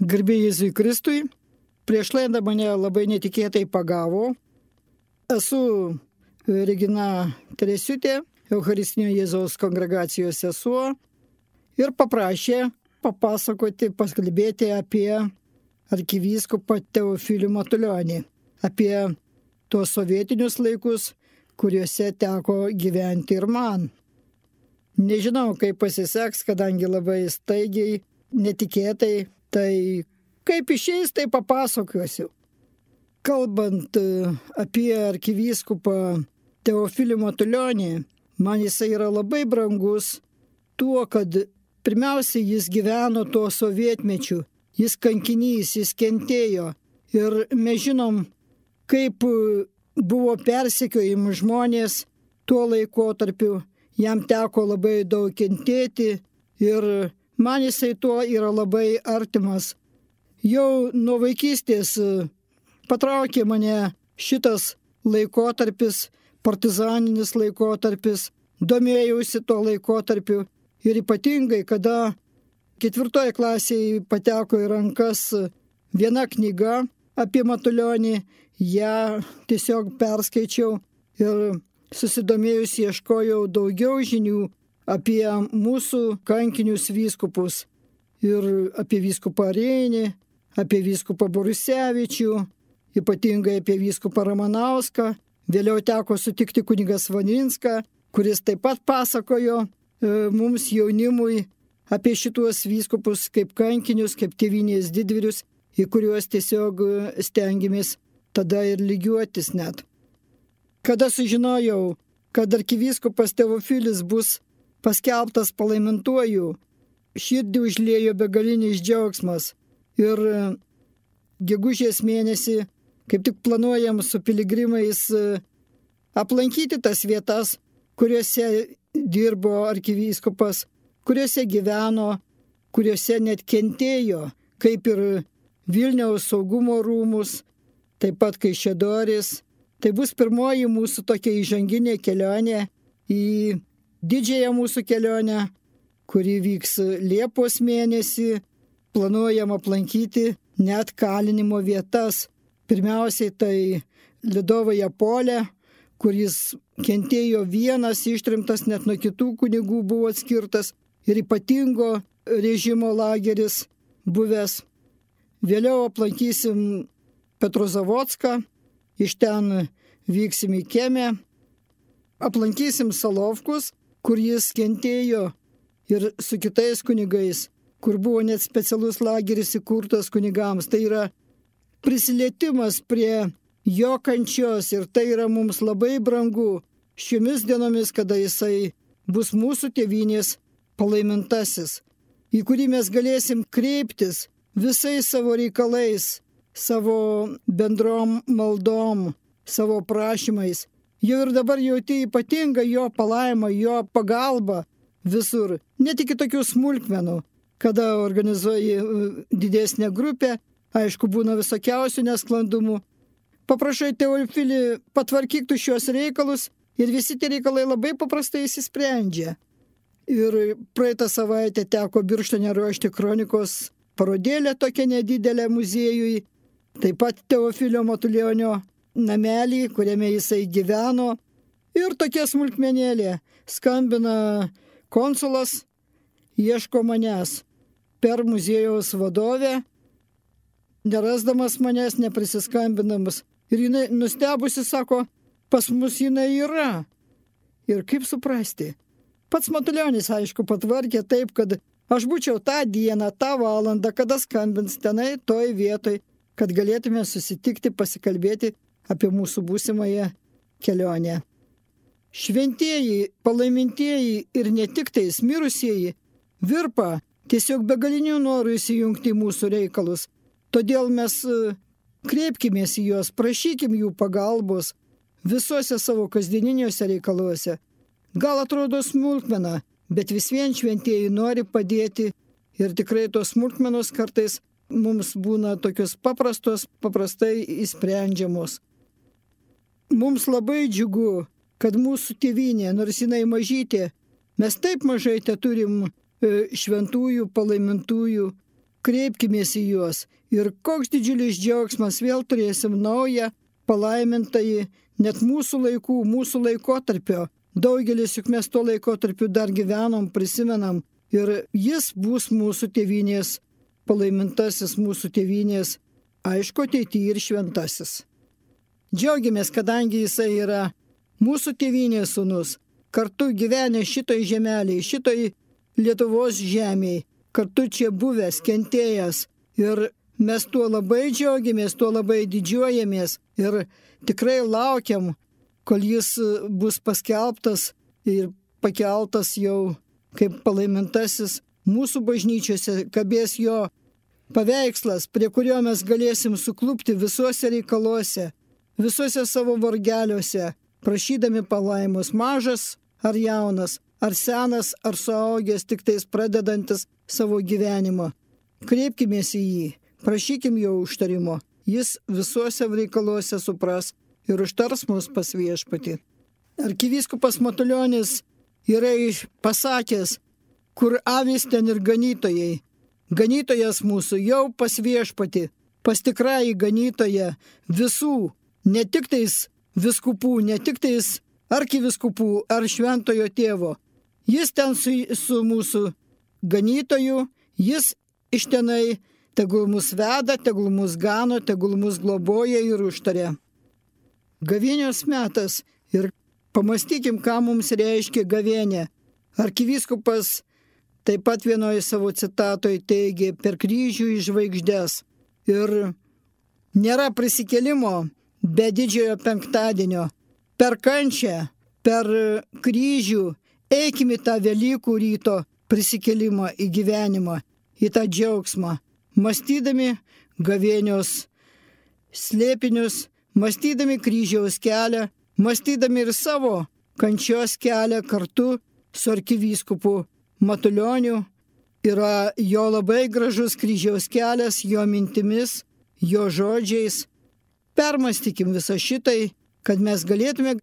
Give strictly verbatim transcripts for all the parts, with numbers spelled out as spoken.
Garbė Jėzui Kristui. Prieš laidą mane labai netikėtai pagavo. Esu Regina Teresiutė, Eucharistinio Jėzaus kongregacijos sesuo, ir paprašė papasakoti, paskalbėti apie arkivyskupą Teofilių Matulionį, apie tuos sovietinius laikus, kuriuose teko gyventi ir man. Nežinau, kaip pasiseks, kadangi labai staigiai, netikėtai, tai kaip išeis, tai papasakosiu. Kalbant apie arkivyskupą Teofilių Matulionį, man jisai yra labai brangus tuo, kad pirmiausia jis gyveno tuo sovietmečiu, jis kankinys, jis kentėjo. Ir mes žinom, kaip buvo persekiojami žmonės tuo laikotarpiu, jam teko labai daug kentėti ir man jisai tuo yra labai artimas. Jau nuo vaikystės patraukė mane šitas laikotarpis, partizaninis laikotarpis, domėjausi tuo laikotarpiu ir ypatingai, kada ketvirtoje klasėje pateko į rankas viena knyga apie Matulionį, ją tiesiog perskaičiau ir susidomėjus ieškojau daugiau žinių apie mūsų kankinius vyskupus ir apie vyskupą Reinį, apie vyskupą Borusevičių, ypatingai apie vyskupą Ramanauską. Vėliau teko sutikti kunigas Vaninską, kuris taip pat pasakojo e, mums jaunimui apie šituos vyskupus kaip kankinius, kaip tėvynės didvyrius, į kuriuos tiesiog stengiamės tada ir lygiuotis net. Kada sužinojau, kad arkivyskupas Teofilis bus paskelbtas palaimintuoju, širdį užliejo begalinis džiaugsmas. Ir gegužės mėnesį, kaip tik planuojam su piligrimais aplankyti tas vietas, kuriuose dirbo arkivyskupas, kuriuose gyveno, kuriuose net kentėjo, kaip ir Vilniaus saugumo rūmus, taip pat Kaišiadorys. Tai bus pirmoji mūsų tokia įžanginė kelionė į didžiąją mūsų kelionę, kuri vyks Liepos mėnesį. Planuojam aplankyti net kalinimo vietas. Pirmiausiai tai Lidovoje Polė, kuris kentėjo vienas, ištrimtas, net nuo kitų kunigų buvo atskirtas, ir ypatingo režimo lageris buvęs. Vėliau aplankysim Petrozavodską, iš ten vyksim į Kemę, aplankysim Solovkus, kur jis kentėjo, ir su kitais kunigais, kur buvo net specialus lageris įkurtas kunigams. Tai yra prisilietimas prie jo kančios ir tai yra mums labai brangu šiomis dienomis, kada jisai bus mūsų tėvynės palaimintasis, į kurį mes galėsim kreiptis visais savo reikalais, savo bendrom maldom, savo prašymais. Jau ir dabar jauti ypatingą jo palaimą, jo pagalbą visur. Ne tik tokių smulkmenų, kada organizuoji didesnę grupę, aišku, būna visokiausių nesklandumų. Paprašai Teofilį, patvarkyk tu šios reikalus ir visi tie reikalai labai paprastai įsisprendžia. Ir praeitą savaitę teko Birštone ruošti kronikos parodėlę tokią nedidelę muziejui. Taip pat Teofilio Matulionio namelį, kuriame jisai gyveno. Ir tokia smulkmenėlė. Skambina konsulas, ieško manęs per muziejaus vadovę, nerasdamas manęs, neprisiskambinamas. Ir jinai nustebusi sako, pas mus jinai yra. Ir kaip suprasti? Pats Matulionis, aišku, patvarkė taip, kad aš būčiau tą dieną, tą valandą, kada skambins tenai, toj vietoj, kad galėtume susitikti, pasikalbėti apie mūsų būsimąją kelionę. Šventieji, palaimintieji ir ne tik tais mirusieji virpa tiesiog begalinių norų įsijungti į mūsų reikalus. Todėl mes kreipkimės į juos, prašykim jų pagalbos visuose savo kasdieniniuose reikaluose. Gal atrodo smulkmena, bet vis vien šventieji nori padėti ir tikrai tos smulkmenos kartais mums būna tokios paprastos, paprastai įsprendžiamos. Mums labai džiugu, kad mūsų tėvynė, nors jinai mažytė, mes taip mažai te turim šventųjų, palaimintųjų, kreipkimės į juos ir koks didžiulis džiaugsmas, vėl turėsim naują palaimintąjį, net mūsų laikų, mūsų laikotarpio. Daugelis juk mes tuo laikotarpiu dar gyvenom, prisimenam ir jis bus mūsų tėvynės, palaimintasis mūsų tėvynės, aišku, ateityje ir šventasis. Džiaugiamės, kadangi jisai yra mūsų tėvynės sūnus, kartu gyvenę šitoj žemelėje, šitoj Lietuvos žemėje, kartu čia buvęs, kentėjęs ir mes tuo labai džiaugiamės, tuo labai didžiuojamės ir tikrai laukiam, kol jis bus paskelbtas ir pakeltas jau kaip palaimintasis mūsų bažnyčiose, kabės jo paveikslas, prie kurio mes galėsim suklupti visuose reikaluose, visuose savo vargeliuose, prašydami palaimos, mažas ar jaunas, ar senas, ar suaugęs, tik tais pradedantis savo gyvenimą. Kreipkimės į jį, prašykim jo užtarimo, jis visuose reikaluose supras ir užtars mus pas viešpatį. Arkivyskupas Matulionis yra pasakęs, kur avys ten ir ganytojai. Ganytojas mūsų jau pas viešpatį, pas tikrąjį ganytoją visų, ne tik tais viskupų, ne tik tais arkiviskupų ar šventojo tėvo. Jis ten su, su mūsų ganytoju, jis iš tenai tegul mus veda, tegul mus gano, tegul mus globoja ir užtaria. Gavėnios metas ir pamastykim, ką mums reiškia gavėnė. Arkivyskupas taip pat vienoje savo citatoje teigė per kryžių į žvaigždes. Ir nėra prisikėlimo be didžiojo penktadienio. Per kančią, per kryžių eikime tą Velykų ryto prisikėlimą į gyvenimą, į tą džiaugsmą, mąstydami gavėnios slėpinius, mąstydami kryžiaus kelią, mąstydami ir savo kančios kelią kartu su arkivyskupu Matulioniu. Yra jo labai gražus kryžiaus kelias, jo mintimis, jo žodžiais. Permąstykim visą šitai, kad mes galėtume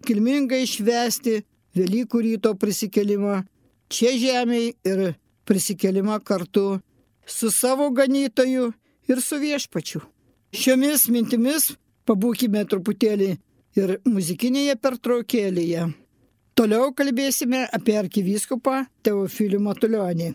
kilmingai švęsti Velykų ryto prisikėlimą čia žemėje ir prisikėlimą kartu su savo ganytoju ir su viešpačiu. Šiomis mintimis pabūkime truputėlį ir muzikinėje pertraukėlėje. Toliau kalbėsime apie arkivyskupą Teofilių Matulionį.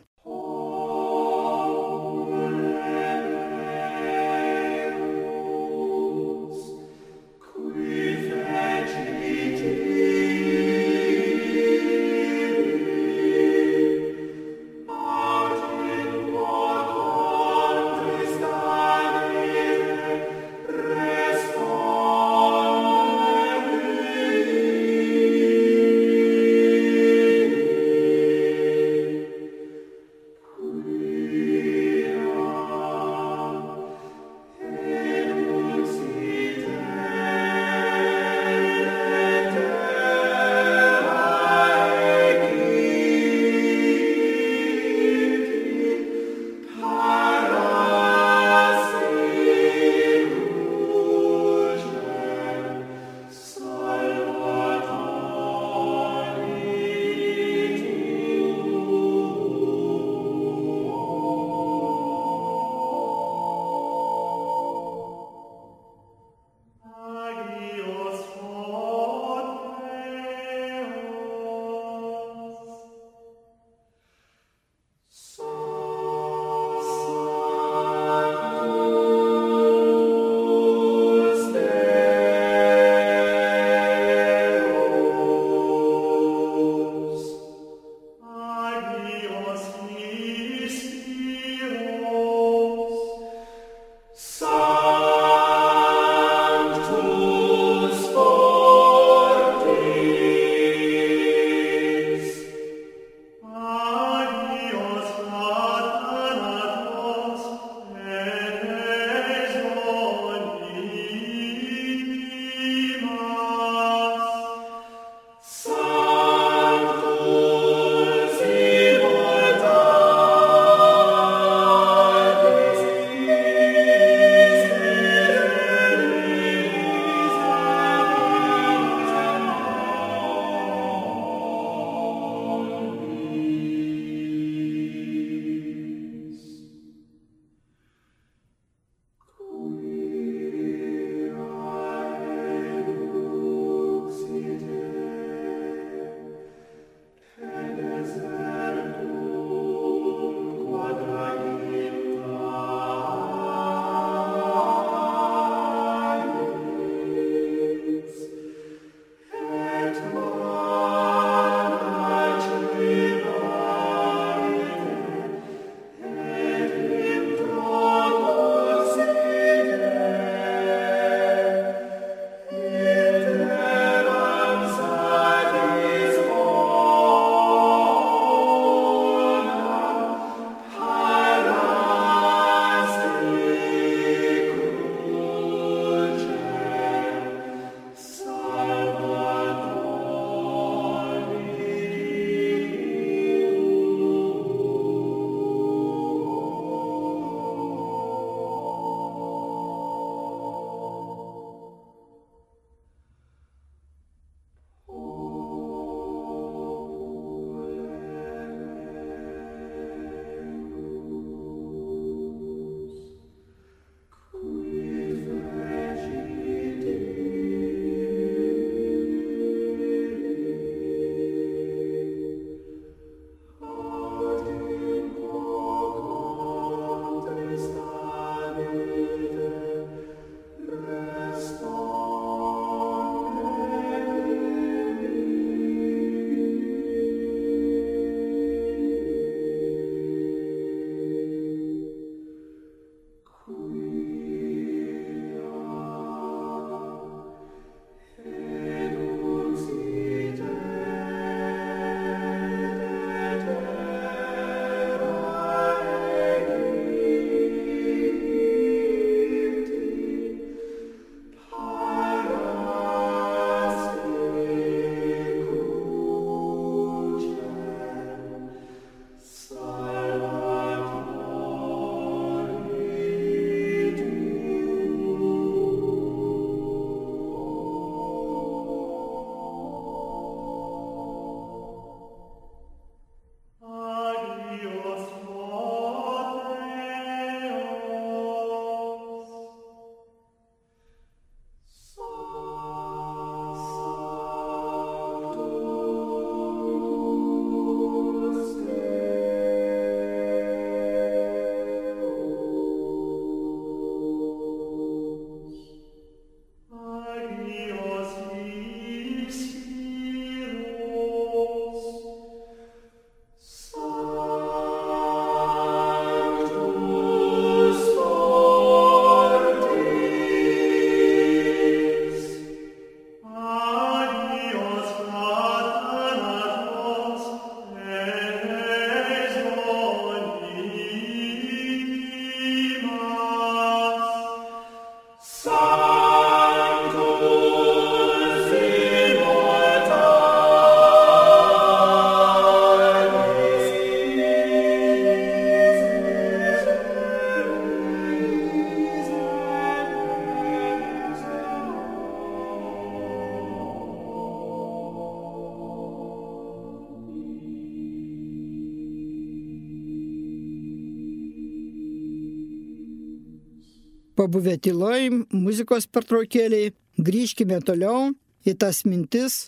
pabuvę tyloj, muzikos pertraukėliai, grįžkime toliau į tas mintis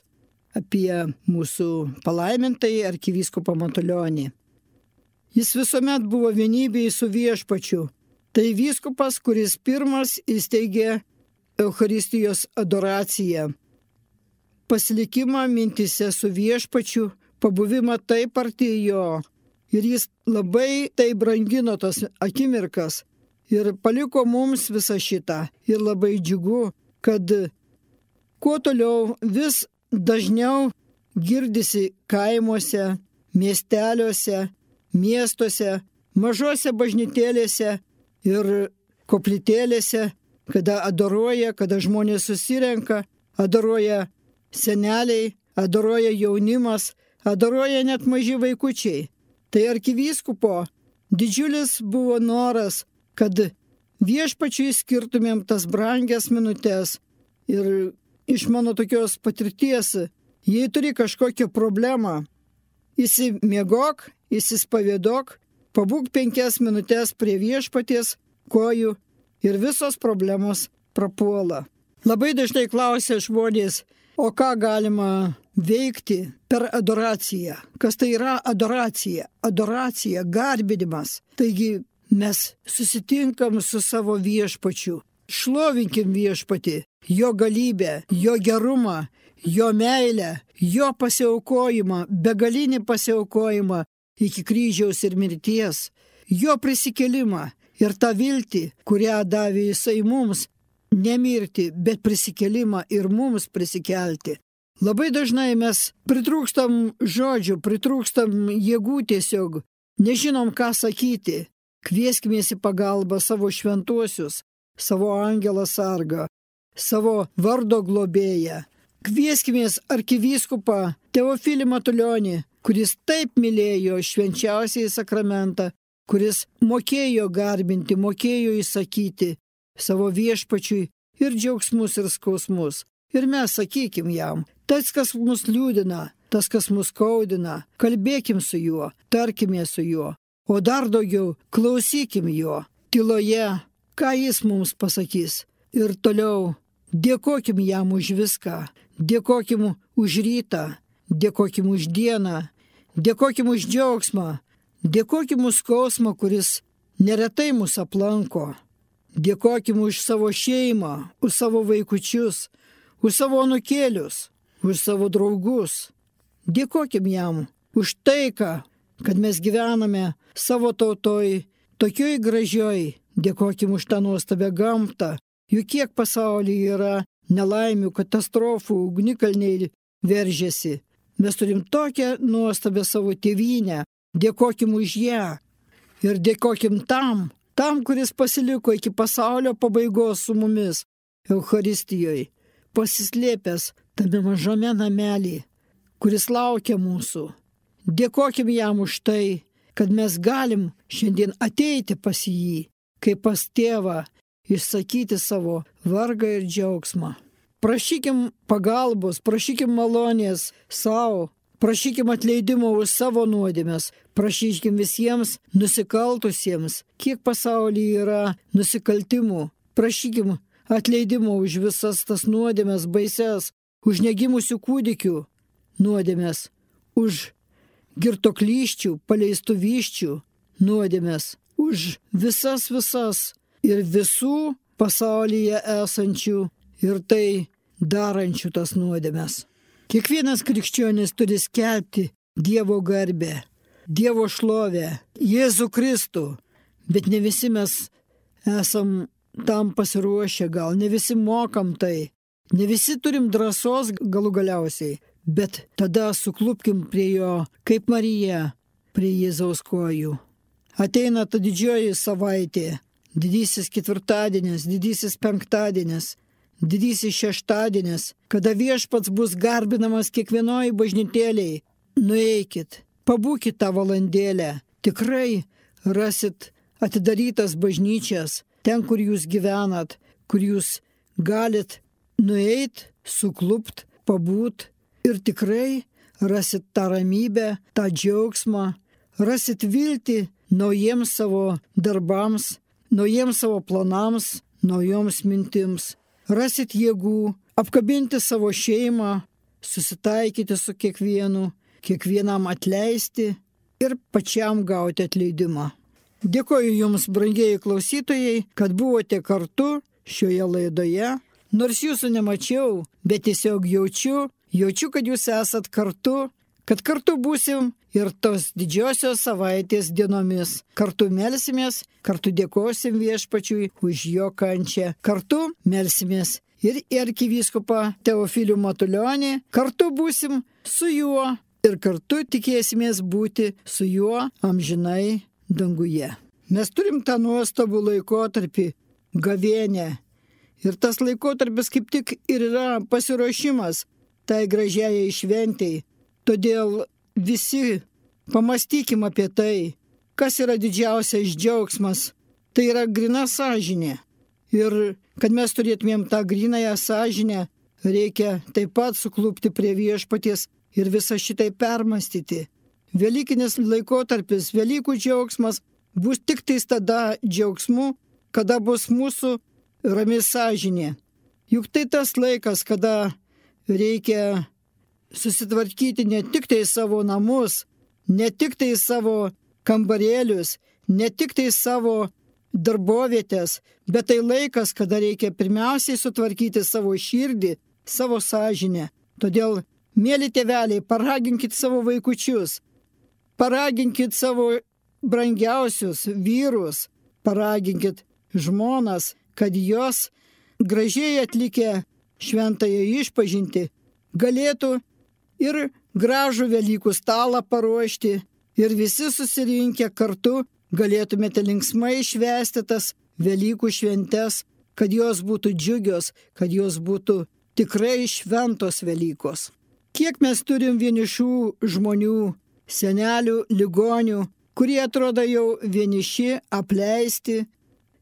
apie mūsų palaimintąjį arkivyskupą Matulionį. Jis visuomet buvo vienybėje su viešpačiu. Tai vyskupas, kuris pirmas įsteigė Eucharistijos adoraciją. Pasilikimą mintise su viešpačiu, pabuvimą taip arti jo. Ir jis labai tai brangino tas akimirkas ir paliko mums visą šitą. Ir labai džiugu, kad kuo toliau vis dažniau girdisi kaimuose, miesteliuose, miestuose, mažose bažnytėlėse ir koplytėlėse, kada adoruoja, kada žmonės susirenka, adoruoja seneliai, adoruoja jaunimas, adoruoja net maži vaikučiai. Tai arkivyskupo didžiulis buvo noras, kad viešpačiui skirtumėm tas brangias minutės. Ir iš mano tokios patirties, jei turi kažkokią problemą, įsimiegok, įsispavėdok, pabūk penkias minutės prie viešpaties kojų ir visos problemos prapuola. Labai dažnai klausia žmonės, o ką galima veikti per adoraciją? Kas tai yra adoracija? Adoracija, garbinimas. Taigi mes susitinkam su savo viešpačiu. Šlovinkim viešpatį, jo galybę, jo gerumą, jo meilę, jo pasiaukojimą, begalinį pasiaukojimą iki kryžiaus ir mirties, jo prisikelimą ir tą viltį, kurią davė jisai mums, nemirti, bet prisikelimą ir mums prisikelti. Labai dažnai mes pritrūkstam žodžių, pritrūkstam jėgų tiesiog, nežinom ką sakyti. Kvieskimės į pagalbą savo šventuosius, savo angelą sargą, savo vardo globėją. Kvieskimės arkivyskupą Teofilį Matulionį, kuris taip mylėjo švenčiausiąjį sakramentą, kuris mokėjo garbinti, mokėjo įsakyti savo viešpačiui ir džiaugsmus ir skausmus. Ir mes sakykim jam, tas, kas mus liūdina, tas, kas mus skaudina, kalbėkim su juo, tarkime su juo, o dar daugiau klausykim jo, tyloje, ką jis mums pasakys. Ir toliau dėkokim jam už viską, dėkokim už rytą, dėkokim už dieną, dėkokim už džiaugsmą, dėkokim už skausmą, kuris neretai mus aplanko. Dėkokim už savo šeimą, už savo vaikučius, už savo anūkėlius, už savo draugus. Dėkokim jam už taiką, kad mes gyvename savo tautoj, tokioj gražioj. Dėkokim už tą nuostabią gamtą. Juk kiek pasaulyje yra nelaimių, katastrofų, ugnikalniai veržiasi. Mes turim tokią nuostabią savo tėvynę. Dėkokim už ją. Ir dėkokim tam, tam, kuris pasiliko iki pasaulio pabaigos su mumis, Eucharistijoje, pasislėpęs tame mažame namelį, kuris laukia mūsų. Dėkokim jam už tai, kad mes galim šiandien ateiti pas jį, kaip pas tėvą, išsakyti savo vargą ir džiaugsmą. Prašykim pagalbos, prašykim malonės savo, prašykim atleidimo už savo nuodėmes, prašykim visiems nusikaltusiems, kiek pasaulyje yra nusikaltimų. Prašykim atleidimo už visas tas nuodėmes baises, už negimusių kūdikių nuodėmes, už girtoklyščių, paleistų vyščių nuodėmes, už visas visas ir visų pasaulyje esančių ir tai darančių tas nuodėmes. Kiekvienas krikščionis turi skelbti Dievo garbę, Dievo šlovę, Jėzų Kristų, bet ne visi mes esam tam pasiruošę, gal ne visi mokam tai, ne visi turim drąsos galų galiausiai, bet tada suklupkim prie jo, kaip Marija, prie Jėzaus kojų. Ateina ta didžioji savaitė, didysis ketvirtadienis, didysis penktadienis, didysis šeštadienis, kada viešpats bus garbinamas kiekvienoj bažnytėlėj. Nueikit, pabūkit tą valandėlę, tikrai rasit atidarytas bažnyčias, ten, kur jūs gyvenat, kur jūs galit nueit, suklupt, pabūt ir tikrai rasit tą ramybę, tą džiaugsmą, rasit viltį naujiems savo darbams, naujiems savo planams, naujoms mintims, rasit jėgų apkabinti savo šeimą, susitaikyti su kiekvienu, kiekvienam atleisti ir pačiam gauti atleidimą. Dėkoju Jums, brangieji klausytojai, kad buvote kartu šioje laidoje. Nors Jūsų nemačiau, bet tiesiog jaučiu, jaučiu, kad Jūs esat kartu, kad kartu būsim ir tos didžiosios savaitės dienomis. Kartu melsimės, kartu dėkosim Viešpačiui už jo kančią. Kartu melsimės ir į arkivyskupą Teofilių Matulionį, kartu būsim su juo ir kartu tikėsimės būti su juo amžinai danguje. Mes turim tą nuostabų laikotarpį, gavėnę. Ir tas laikotarpis kaip tik ir yra pasiruošimas tai gražiai šventei. Todėl visi pamastykim apie tai, kas yra didžiausias džiaugsmas. Tai yra grina sąžinė. Ir kad mes turėtumėm tą grinąją sąžinę, reikia taip pat suklupti prie Viešpaties ir visą šitai permastyti. Velykinis laikotarpis, Velykų džiaugsmas bus tik tais tada džiaugsmu, kada bus mūsų rami sąžinė. Juk tai tas laikas, kada reikia susitvarkyti ne tik tai savo namus, ne tik tai savo kambarėlius, ne tik tai savo darbovietės, bet tai laikas, kada reikia pirmiausiai sutvarkyti savo širdį, savo sąžinę. Todėl, mėly tėveliai, paraginkit savo vaikučius, paraginkit savo brangiausius vyrus, paraginkit žmonas, kad jos gražiai atlikę šventąją išpažintį galėtų ir gražų Velykų stalą paruošti ir visi susirinkę kartu galėtumėte linksmai švęsti tas Velykų šventes, kad jos būtų džiugios, kad jos būtų tikrai šventos Velykos. Kiek mes turim vienišų žmonių, senelių, ligonių, kurie atrodo jau vieniši, apleisti.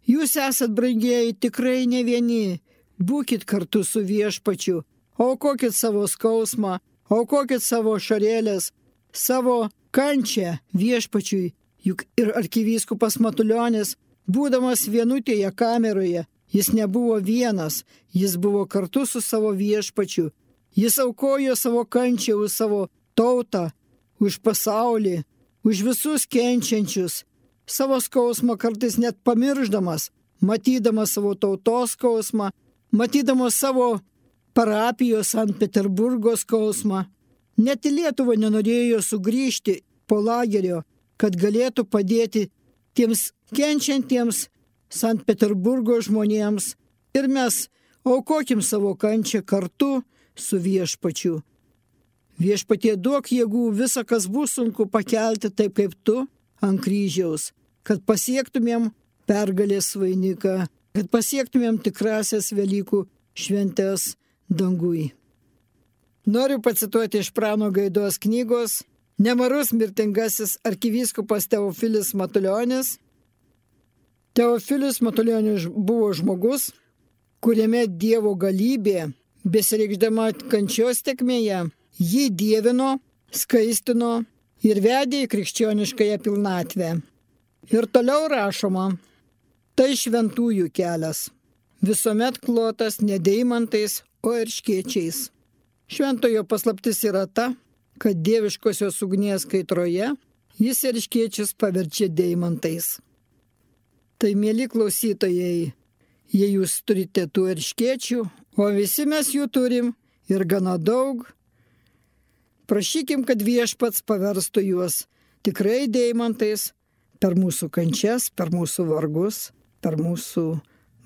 Jūs esat, brangieji, tikrai ne vieni. Būkit kartu su Viešpačiu. Aukokit savo skausmą, aukokit savo šarėlės, savo kančią Viešpačiui. Juk ir arkivyskupas Matulionis, būdamas vienutėje kameroje, jis nebuvo vienas, jis buvo kartu su savo Viešpačiu. Jis aukojo savo kančią už savo tautą, už pasaulį, už visus kenčiančius, savo skausmą kartais net pamirždamas, matydamas savo tautos skausmą, matydamas savo parapijos Sankt Peterburgo skausmą. Net į Lietuvą nenorėjo sugrįžti po lagerio, kad galėtų padėti tiems kenčiantiems Sankt Peterburgo žmonėms. Ir mes aukokim savo kančią kartu su Viešpačiu. Viešpatie, duok jėgų visą, kas bus sunku pakelti taip kaip tu ant kryžiaus, kad pasiektumėm pergalės vainiką, kad pasiektumėm tikrasias Velykų šventes dangui. Noriu pacituoti iš Prano Gaidos knygos Nemarus mirtingasis arkivyskupas Teofilis Matulionis. Teofilis Matulionis buvo žmogus, kuriame Dievo galybė, besireikšdama kančios tekmėje, jį dievino, skaistino ir vedė į krikščioniškąją pilnatvę. Ir toliau rašoma, tai šventųjų kelias, visuomet klotas ne deimantais, o erškėčiais. Šventojo paslaptis yra ta, kad dieviškosios ugnies kaitroje jis erškėčius paverčia deimantais. Tai, mėly klausytojai, jei jūs turite tų erškėčių, o visi mes jų turim ir gana daug, prašykim, kad Viešpats paverstų juos tikrai deimantais per mūsų kančias, per mūsų vargus, per mūsų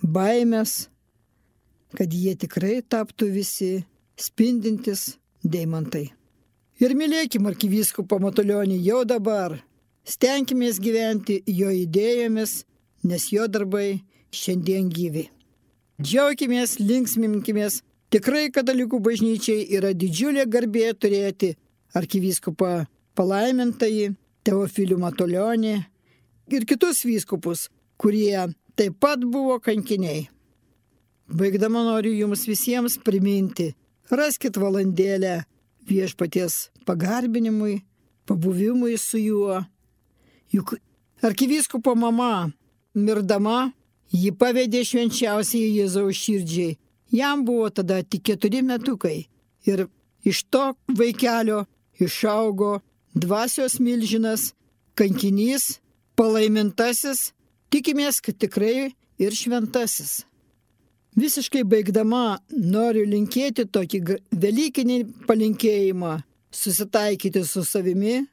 baimės, kad jie tikrai taptų visi spindintis deimantai. Ir mylėkim arkivyskupą Matulionį jau dabar, stenkimės gyventi jo idėjomis, nes jo darbai šiandien gyvi. Džiaukimės, linksminkimės. Tikrai katalikų bažnyčiai yra didžiulė garbė turėti arkivyskupą palaimintąjį Teofilių Matulionį ir kitus vyskupus, kurie taip pat buvo kankiniai. Baigdama noriu jums visiems priminti, raskit valandėlę Viešpaties pagarbinimui, pabuvimui su juo. Juk arkivyskupo mama, mirdama, Ji pavedė švenčiausiai Jėzaus širdžiai. Jam buvo tada tik keturi metukai. Ir iš to vaikelio išaugo dvasios milžinas, kankinys, palaimintasis, tikimės, kad tikrai ir šventasis. Visiškai baigdama noriu linkėti tokį velykinį palinkėjimą – susitaikyti su savimi,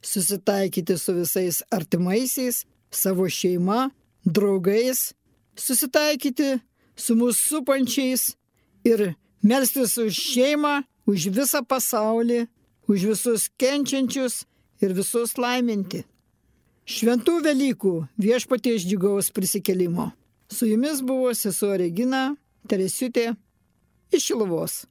susitaikyti su visais artimaisiais, savo šeima, draugais, susitaikyti su mūsų supančiais ir melstis už šeimą, už visą pasaulį, už visus kenčiančius ir visus laiminti. Šventų Velykų Viešpaties džiugaus prisikėlimo. Su jumis buvo sesuo Regina Teresiutė iš Šiluvos.